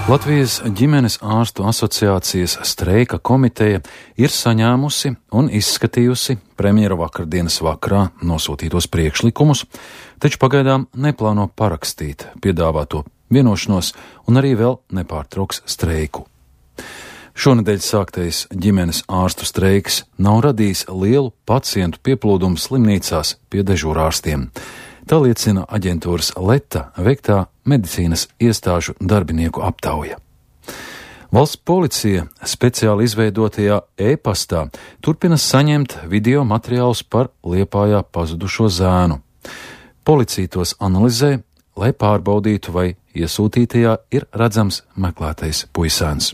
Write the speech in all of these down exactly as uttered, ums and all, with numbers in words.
Latvijas ģimenes ārstu asociācijas streika komiteja ir saņēmusi un izskatījusi premjera vakardienas vakarā nosūtītos priekšlikumus, taču pagaidām neplāno parakstīt piedāvāto vienošanos un arī vēl nepārtrauks streiku. Šonedēļ sāktais ģimenes ārstu streiks nav radījis lielu pacientu pieplūdumu slimnīcās pie dežūrārstiem. Tā liecina aģentūras Leta veiktā medicīnas iestāžu darbinieku aptauja. Valsts policija speciāli izveidotajā e-pastā turpina saņemt video materiālus par Liepājā pazudušo zēnu. Policija tos analizē, lai pārbaudītu, vai iesūtītajā ir redzams meklētais puisēns.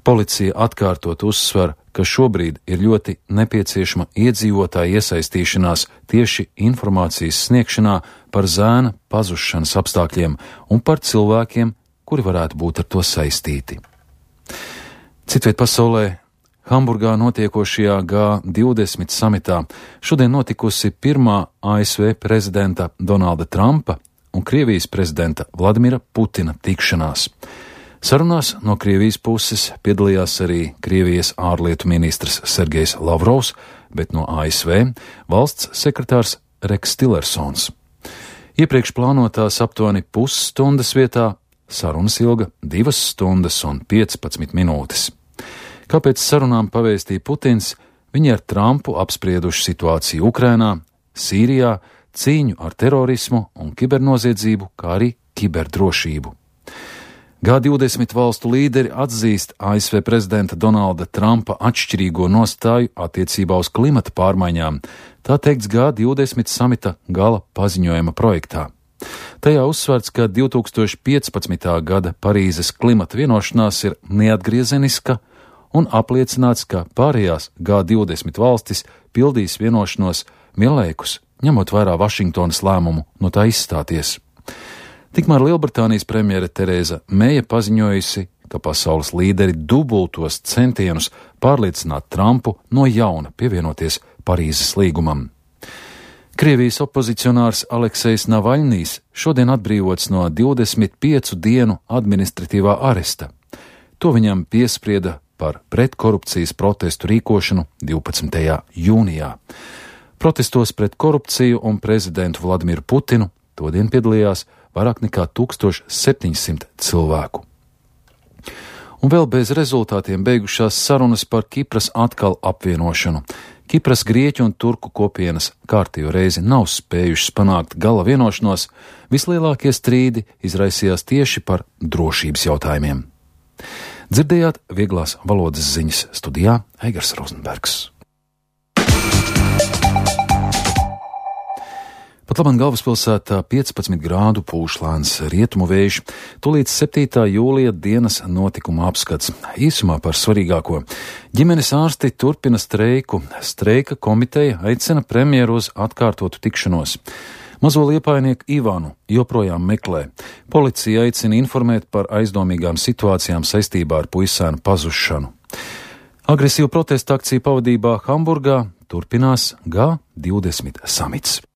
Policija atkārtot uzsver, ka šobrīd ir ļoti nepieciešama iedzīvotāja iesaistīšanās tieši informācijas sniegšanā par zēna pazušanas apstākļiem un par cilvēkiem, kuri varētu būt ar to saistīti. Citviet pasaulē, Hamburgā notiekošajā G divdesmit samitā šodien notikusi pirmā A S V prezidenta Donalda Trumpa un Krievijas prezidenta Vladimira Putina tikšanās. Sarunās no Krievijas puses piedalījās arī Krievijas ārlietu ministrs Sergejs Lavrovs, bet no A S V valsts sekretārs Reks Tillersons. Iepriekš plānotās aptuveni pusstundas vietā sarunas ilga divas stundas un piecpadsmit minūtes. Kāpēc sarunām pavēstīja Putins, viņi ar Trumpu apsprieduši situāciju Ukrainā, Sīrijā, cīņu ar terorismu un kibernoziedzību, kā arī kiberdrošību. G divdesmit valstu līderi atzīst A S V prezidenta Donalda Trumpa atšķirīgo nostāju attiecībā uz klimata pārmaiņām, tā teikts G divdesmit samita gala paziņojuma projektā. Tajā uzsvērts, ka divi tūkstoši piecpadsmitā gada Parīzes klimata vienošanās ir neatgriezeniska un apliecināts, ka pārējās G divdesmit valstis pildīs vienošanos vienlaikus, ņemot vērā Vašingtonas lēmumu no tā izstāties. Tikmēr Lielbritānijas premjere Tereza Meija paziņojusi, ka pasaules līderi dubultos centienus pārliecināt Trumpu no jauna pievienoties Parīzes līgumam. Krievijas opozicionārs Aleksejs Navaļnijs šodien atbrīvots no divdesmit piecu dienu administratīvā aresta. To viņam piesprieda par pretkorupcijas protestu rīkošanu divpadsmitajā jūnijā. Protestos pret korupciju un prezidentu Vladimiru Putinu todien piedalījās vairāk nekā tūkstoš septiņsimt cilvēku. Un vēl bez rezultātiem beigušās sarunas par Kipras atkal apvienošanu. Kipras grieķu un turku kopienas kārtējo reizi nav spējušas panākt gala vienošanos, vislielākie strīdi izraisījās tieši par drošības jautājumiem. Dzirdējāt vieglās valodas ziņas, studijā Eigars Rozenbergs. Pat labam galvaspilsētā piecpadsmit grādu pūš lēns rietumu vējš, tūlīt septītā jūlija dienas notikuma apskats. Īsumā par svarīgāko. Ģimenes ārsti turpina streiku. Streika komiteja aicina premjeru uz atkārtotu tikšanos. Mazo liepājnieku Ivanu joprojām meklē. Policija aicina informēt par aizdomīgām situācijām saistībā ar puisēnu pazušanu. Agresīvu protestu akciju pavadībā Hamburgā turpinās G divdesmit samits.